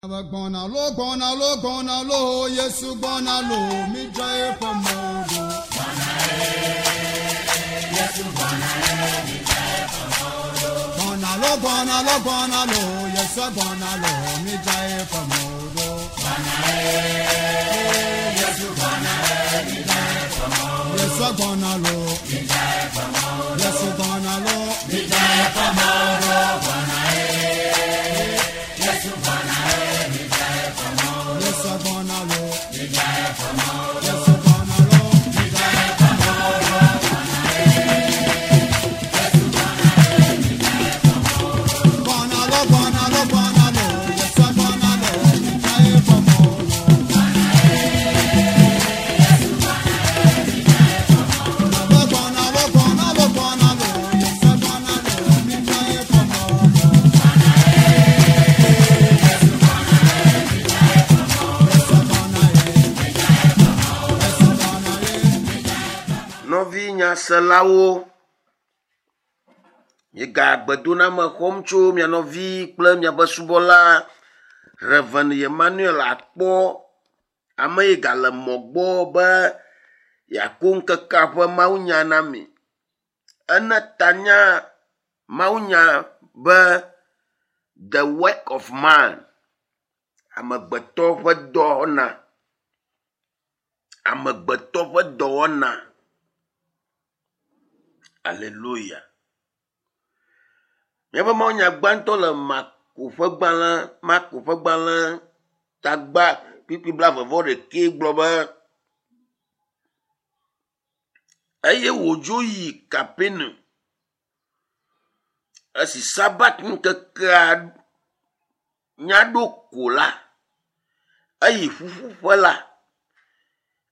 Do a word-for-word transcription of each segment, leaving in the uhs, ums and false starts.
Gbɔna lo gbɔna lo gbɔna lo Yesu gbɔna lo mi dza eƒe mɔ ɖo. Gbɔna lo gbɔna lo gbɔna lo Yesu gbɔna lo mi dza eƒe mɔ ɖo. Yesu gbɔna lo Yesu gbɔna lo mi dza eƒe mɔ ɖo. Yesu gbɔna lo Yesu gbɔna lo mi dza eƒe mɔ ɖo. Gbɔna lo gbɔna lo gbɔna lo Yesu gbɔna lo mi dza eƒe mɔ ɖo. Gbɔna lo gbɔna lo gbɔna lo Yesu gbɔna lo mi dza eƒe mɔ ɖo. Yesu gbɔna ye. Yesu gbɔna ye. Nɔvi nyaselawo, miega gbedoname xɔm tso mia nɔvi kple miaƒe subɔla Reverend Emmanuel akpɔ ame yi gale mɔ gbɔ be yeako ŋkekea ƒe mawunya na mi. Ene tanya mawunya be the work of man, amegbetɔ ƒe dɔwɔna. Amegbetɔ ƒe dɔwɔna. Aleluya. Míaƒe mawunya gbãtɔ le Marko ƒe gbalẽ, Marko ƒe gbalẽ tagba kpukpui blaeve-vɔ-ɖekɛ gblɔ be eye wòdzo yi Kapernaum. Esi Sabat ŋkekea nya ɖo ko la, eyi ƒuƒoƒe la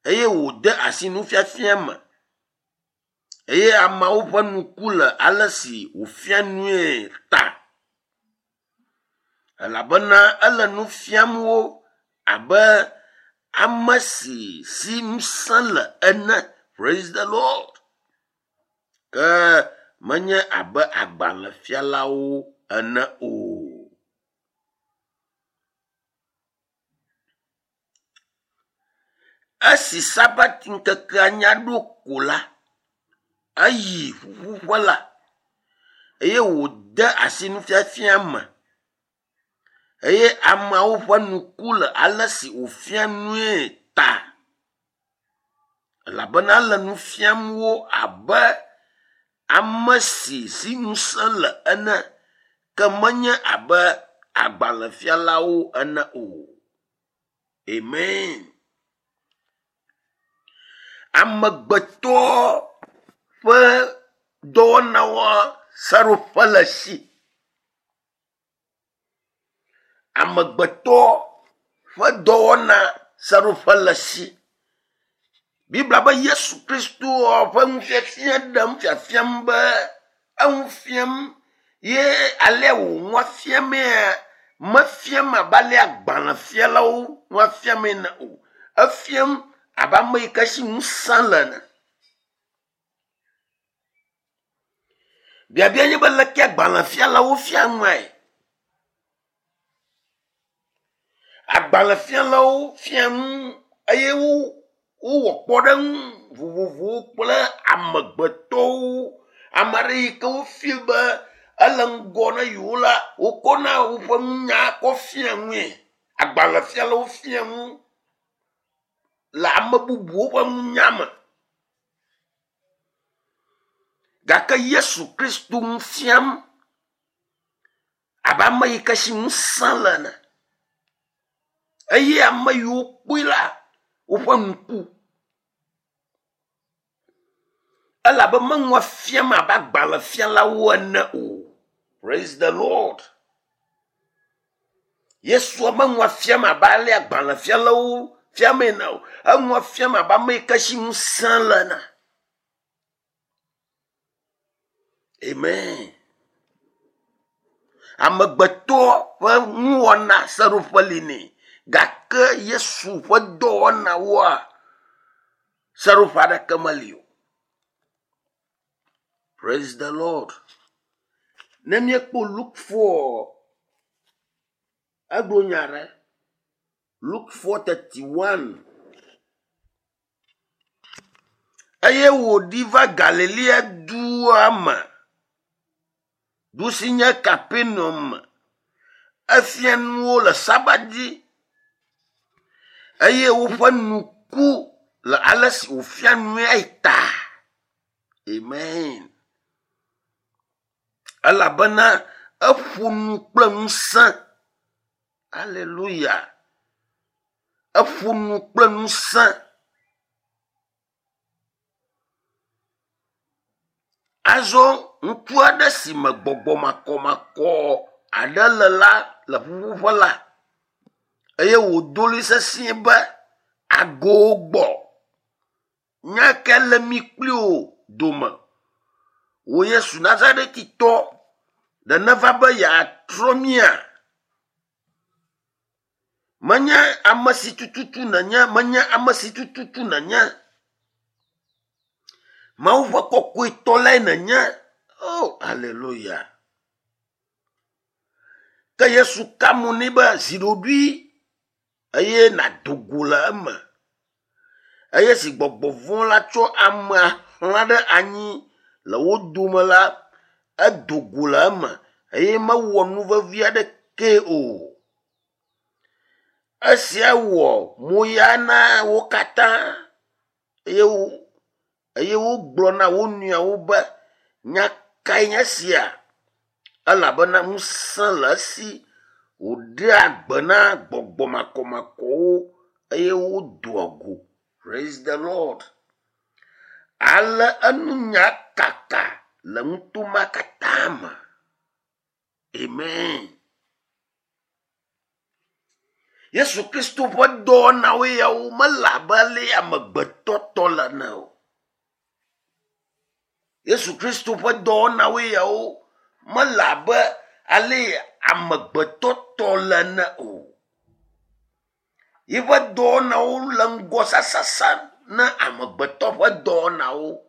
eye wòde asi nufiafia me. Eye ameawo ƒe nuku le ale si wòfia nue ta. Elabena ele nu fiam wo abe ame si si ŋusẽ le ene. Praise the Lord. Ke menye abe agbalẽfialawo ene o. Esi Sabat ŋkekea nya ɖo ko la, eyi ƒuƒoƒe la eye wòde asi nufiafia me. Eye ameawo ƒe nuku le ale si wòfia nue ta. Elabena ele nu fiam wo abe ame si si ŋusẽ le ene, ke menye abe agbalẽfialawo ene o. Amen. Amegbetɔ ƒe dɔwɔnawoa seɖoƒe le esi. Amegbetɔ ƒe dɔwɔna seɖoƒe le esi. Biblia be Yesu Kristo ƒe nufiafia ɖem fiafiam be eŋu fiam ye alea wònua fiamea mefiam abe alea agbalẽfialawo nua fiamee ene o. Efiam abe ame yi ke si ŋusẽ le ene. Biabia nye be leke agbalẽfialawo fia nuae? Agbalẽfialawo fia nu eye wo wowɔ kpɔɖeŋu vovovowo kple amegbetɔwo. Ame aɖe yi ke wofeel be ele ŋgɔ na yewo la, wokɔna woƒe nunya kɔ fia nue. Agbalẽfialawo fia nu le ame bubuwo ƒe nunya me. Gake Yesu Kristo nu fiam abe ame yi ke si ŋusẽ le ene. Eye ame yiwo kpɔe la, woƒe ŋku. Elabe menua fiam abe agbalẽfialawo ene o. Praise the Lord. Yesua menua fiam abe ale agbalẽfialawo fiam ene o. Enua fiam abe ame yi ke si ŋusẽ le ene. Amen. Amegbetɔ ƒe nuwɔna seɖoƒe li nɛ. Gake Yesu ƒe dɔwɔnawoa, seɖoƒe aɖeke meli o. Praise the Lord. Ne míekpɔ Luke four, egblɔ nya aɖe. Luke four thirty one. Eye wòɖi va Galilea dua me, du si nye Kapernaum me. Efia nuwo le Sabat dzi eye woƒe nu ku le ale si wòfia nue ta. Amen. Elabena eƒo nu kple ŋusẽ. Hallelujah. Eƒo nu kple ŋusẽ. Azɔ ŋutsu aɖe si me gbɔgbɔ makɔmakɔ aɖe le la le ƒuƒoƒe la eye wòdo ɣli sesĩe be ago gbɔ. Nya ke le mi kpli wò dome. Wò Yesu Nazaretitɔ, ɖe neva be yeatrɔ mía? Menye ame si tututu nènye, menye ame si tututu nènye. Mawu ƒe kɔkɔetɔ lae nènye. Oh, hallelujah. Ke Yesu ka mo nɛ be zi ɖoɖoe eye nàdo go le eme. Eye si gbɔgbɔ vɔ̃ la tsɔ amea xlã ɖe anyi le wo dome la, edo go le eme eye mewɔ nu vevi aɖeke o. Esia wɔ moya na wo katã eye wo eye wogblɔ na wo nɔewo be nya kae nye esia? Elabena ŋusẽ le esi wòɖea gbe na gbɔgbɔ makɔmakɔwo eye wodoa go. Praise the Lord. Ale enunya kaka le nutoma katã me. Amen. Yesu Kristo ƒe dɔwɔnawo yawo mele abe ale amegbetɔ tɔ le ene o. Yesu Kristo ƒe dɔwɔnawo yawo mele abe ale amegbetɔ tɔ le ene o. Yeƒe dɔwɔnawo le ŋgɔ sasasa na amegbetɔ ƒe dɔwɔnawo.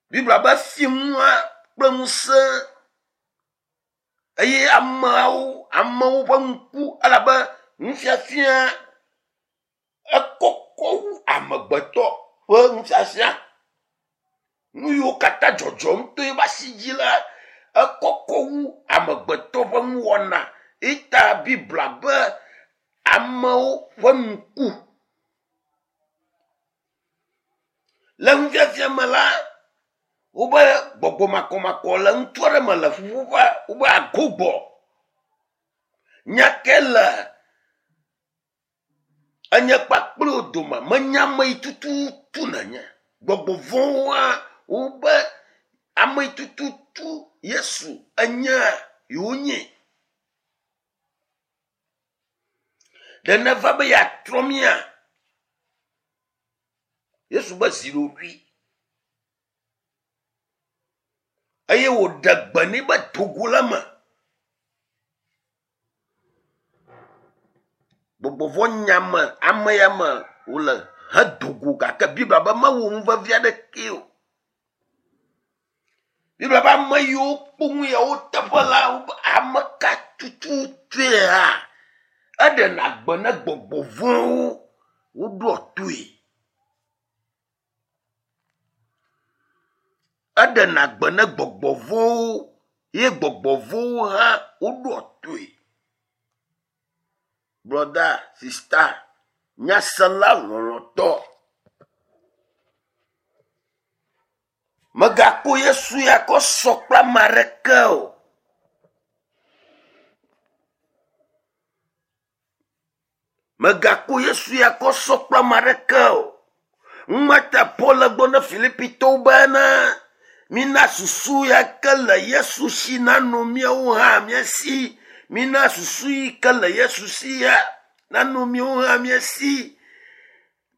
Biblia be fiẽnua kple ŋusẽ eye ameawo amewo ƒe ŋku elabe nufiafia ekɔkɔ wu amegbetɔ ƒe nufiafia. Nu yiwo katã dzɔdzɔm to eƒe asi dzi la ekɔkɔ wu amegbetɔ ƒe nuwɔna. Eta Biblia be amewo ƒe ŋku. Le nufiafia me la, wobe gbɔgbɔ makɔmakɔ le ŋutsu aɖe me le ƒuƒoƒea, wobe ago gbɔ. Nya ke le enye kpakple wo dome, menya ame yi tututu nènye. Gbɔgbɔ vɔ̃woa, wobe ame yi tututu Yesu enye yewo nye. Ɖe neva be yeatrɔ mía? Yesu be zi ɖoɖoe. Eye wòɖe gbe nɛ be do go le eme. Gbɔgbɔ vɔ̃ nya me ame ya me wòle hedo go gake Biblia be mewɔ nu vevi aɖeke o. Biblia be ame yiwo kpɔ nu yawo teƒe la, wobe ame ka tututue hã eɖena gbe na gbɔgbɔ vɔ̃wo woɖoa toe. Eɖena gbe na gbɔgbɔ vɔ̃wo ye gbɔgbɔ vɔ̃wo hã woɖoa toe. Brother, sister, nyasela lɔlɔ̃tɔ. Mègakpɔ Yesu ya kɔ sɔ kple ame aɖeke o. Mègakpɔ Yesu ya kɔ sɔ kple ame aɖeke o. Ŋumata Paul le gblɔ na Filipitɔwo bena mina susu ya ke le Yesu si nanɔ míawo hã mía si. Mina susu yi ke le Yesu si ya nanɔ míawo hã mía si.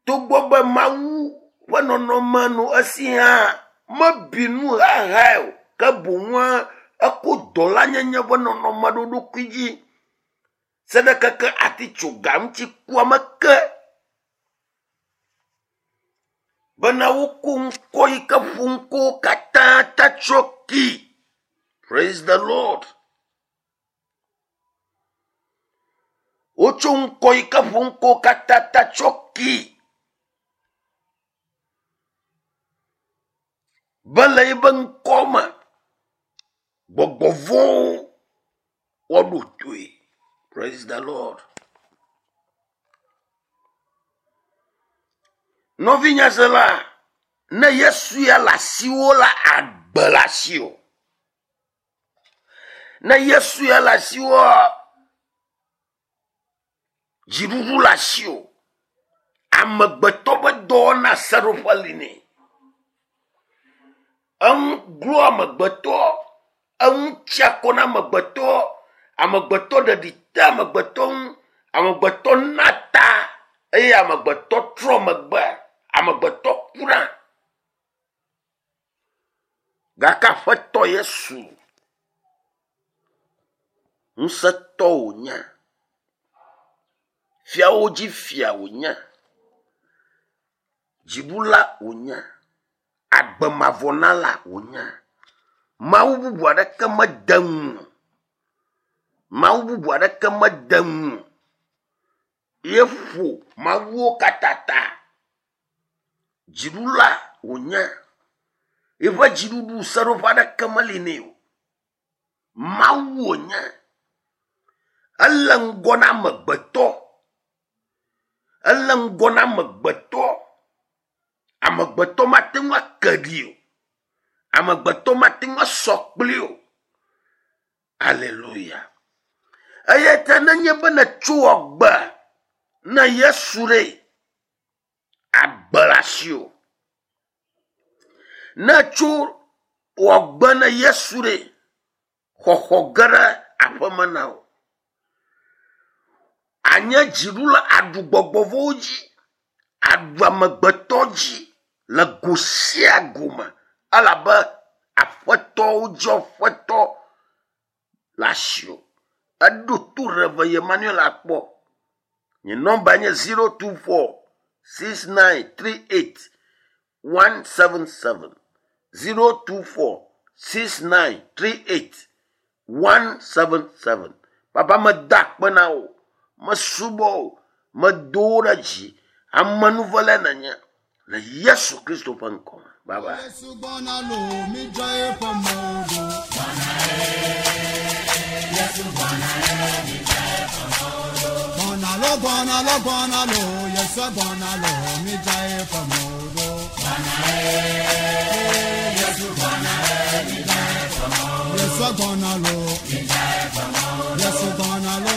Togbɔ be Mawu ƒe nɔnɔme nɔ esi hã mebi nu hahae o, ke boŋua eko dɔlanyenye ƒe nɔnɔme ɖo eɖokui dzi. Se ɖe keke atitsoga ŋuti kua me ke. Bena woko ŋkɔ yi ke ƒo ŋkɔwo katã ta tsɔ ki. Praise the Lord. Wotso ŋkɔ yi ke ƒo ŋkɔ katã ta tsɔ ki. Be le yibe ŋkɔ me gbɔgbɔ vɔ̃wo woaɖo toe. Praise the Lord. Nɔvinyasela, ne Yesu ya le asiwò la, agbe le asiwò. Ne Yesu ya le asiwòa, dziɖuɖu le asiwò. Amegbetɔ ƒe dɔwɔna seɖoƒe li nɛ. Eŋu glo amegbetɔ, eŋu tsi akɔ na amegbetɔ, amegbetɔ ɖeɖi te amegbetɔ ŋu, amegbetɔ na ta eye amegbetɔ trɔ megbe, amegbetɔ kuna. Gake Aƒetɔ Yesu ŋusẽtɔ wònye, fiawo dzi fia wònye, dziɖula wònye, agbemavɔnala wònye. Mawu bubu aɖeke mede ŋu. Mawu bubu aɖeke mede ŋu. Ye ƒo mawuwo katã ta. Dziɖula wònye. Eƒe dziɖuɖu seɖoƒe aɖeke meli nɛ o. Mawu wònye. Ele ŋgɔ na amegbetɔ. Ele ŋgɔ na amegbetɔ. Amegbetɔ mate ŋu ake ɖi o. Amegbetɔ mate ŋu asɔ kpli o. Aleluya. Eya ta nenye be nètso agbe na Yesu ɖe, agbe le asiwò. Ne tso wɔ gbe na Yesu ɖe, xɔxɔ ge ɖe aƒeme na wò. Anye dziɖula aɖu gbɔgbɔ vɔ̃wo dzi, aɖu amegbetɔ dzi le go sia go me elabe aƒetɔwo dzi aƒetɔ le asiwò. Eɖo to Reverend Emmanuel akpɔ. Nye nɔmba nye zero two four six nine three eight one seven seven zero two four six nine three eight one seven seven. Papa meda akpe na wò, mesubɔ wò, medo wò ɖe dzi. Amenuvele nenye le Yesu Kristo ƒe ŋkɔ me. Bye bye. Yesu gbɔna lo, midzra eƒe mɔ ɖo. Gbɔna lo, gbɔna lo, gbɔna lo, Yesu gbɔna lo, midzra eƒe mɔ ɖo. Yesu gbɔna lo, Yesu gbɔna lo,